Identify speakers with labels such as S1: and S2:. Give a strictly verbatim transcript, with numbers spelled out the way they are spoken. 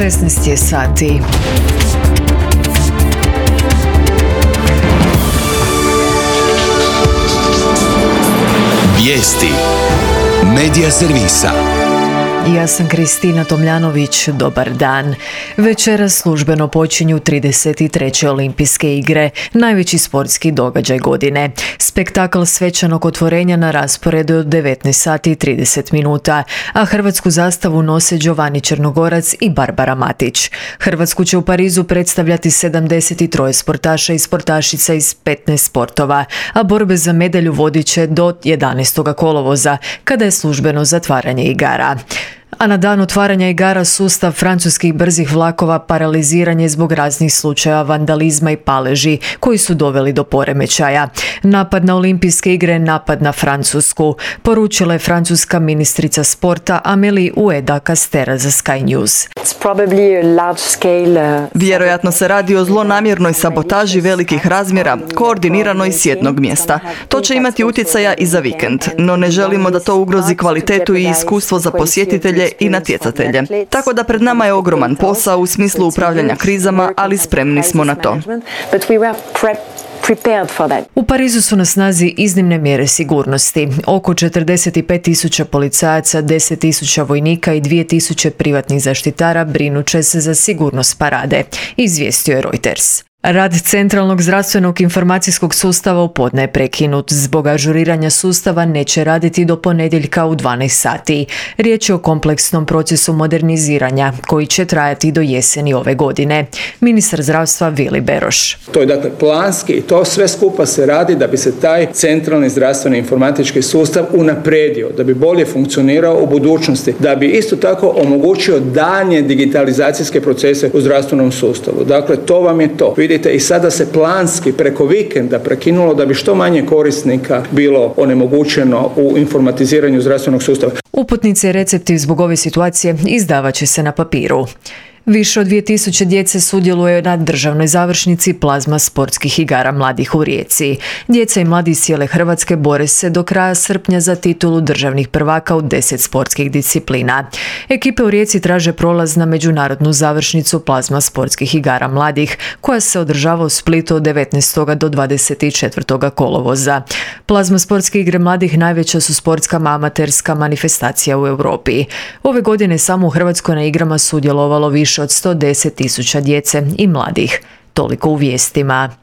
S1: šesnaest je sati.
S2: Vijesti Medija servisa.
S1: Ja sam Kristina Tomljanović, dobar dan. Večeras službeno počinju trideset treće olimpijske igre, najveći sportski događaj godine. Spektakl svečanog otvorenja na rasporedu od devetnaest sati i trideset minuta, a hrvatsku zastavu nose Giovanni Črnogorac i Barbara Matić. Hrvatsku će u Parizu predstavljati sedamdeset tri sportaša i sportašica iz petnaest sportova, a borbe za medalju vodit će do jedanaestog kolovoza, kada je službeno zatvaranje igara. A na dan otvaranja igara sustav francuskih brzih vlakova paraliziran je zbog raznih slučaja vandalizma i paleži koji su doveli do poremećaja. Napad na olimpijske igre, napad na Francusku, poručila je francuska ministrica sporta Amélie Oudéa-Castéra za Sky News.
S3: Vjerojatno se radi o zlonamjernoj sabotaži velikih razmjera, koordiniranoj s jednog mjesta. To će imati utjecaja i za vikend, no ne želimo da to ugrozi kvalitetu i iskustvo za posjetitelje i natjecatelje. Tako da pred nama je ogroman posao u smislu upravljanja krizama, ali spremni smo na to.
S1: U Parizu su na snazi iznimne mjere sigurnosti. Oko četrdeset pet tisuća policajaca, deset tisuća vojnika i dvije tisuće privatnih zaštitara brinut će se za sigurnost parade, izvijestio je Reuters. Rad Centralnog zdravstvenog informacijskog sustava u podne je prekinut. Zbog ažuriranja sustava neće raditi do ponedjeljka u dvanaest sati. Riječ je o kompleksnom procesu moderniziranja koji će trajati do jeseni ove godine. Ministar zdravstva Vili Beroš.
S4: To je dakle planski i to sve skupa se radi da bi se taj centralni zdravstveni informatički sustav unapredio, da bi bolje funkcionirao u budućnosti, da bi isto tako omogućio daljnje digitalizacijske procese u zdravstvenom sustavu. Dakle, to vam je to. Vidite, i sada se planski preko vikenda prekinulo da bi što manje korisnika bilo onemogućeno u informatiziranju zdravstvenog sustava.
S1: Uputnice i recepti zbog ove situacije izdavat će se na papiru. Više od dvije tisuće djece sudjeluje na državnoj završnici plazma sportskih igara mladih u Rijeci. Djeca i mladi iz cijele Hrvatske bore se do kraja srpnja za titulu državnih prvaka u deset sportskih disciplina. Ekipe u Rijeci traže prolaz na međunarodnu završnicu plazma sportskih igara mladih, koja se održava u Splitu od devetnaestog do dvadeset četvrtog kolovoza. Plazma sportske igre mladih najveća su sportska amaterska manifestacija u Europi. Ove godine samo u Hrvatskoj na igrama sudjelovalo više od sto deset tisuća djece i mladih. Toliko u vijestima.